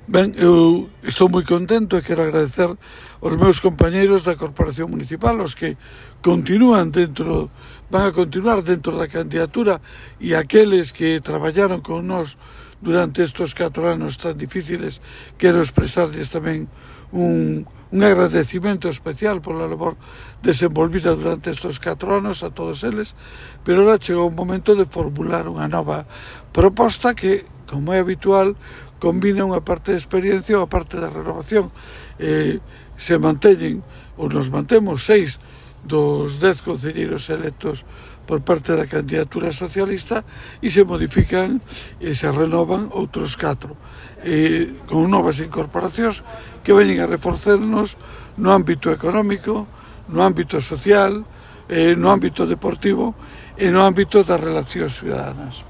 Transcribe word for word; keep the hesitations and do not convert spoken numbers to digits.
Ben, eu estou moi contento e quero agradecer aos meus compañeiros da Corporación Municipal, os que continúan dentro, van a continuar dentro da candidatura, e aqueles que traballaron con nós durante estes catro anos tan difíciles. Quero expresarles tamén un, un agradecimento especial pola labor desenvolvida durante estes catro anos a todos eles, pero ahora chegou un momento de formular unha nova proposta que, como é habitual, combina unha parte de experiencia e unha parte de renovación. Eh, se manteñen, ou nos mantemos, seis dos dez concelleiros electos por parte da candidatura socialista, e se modifican e se renovan outros catro, eh, con novas incorporacións que veñen a reforzarnos no ámbito económico, no ámbito social, eh, no ámbito deportivo e no ámbito das relacións ciudadanas.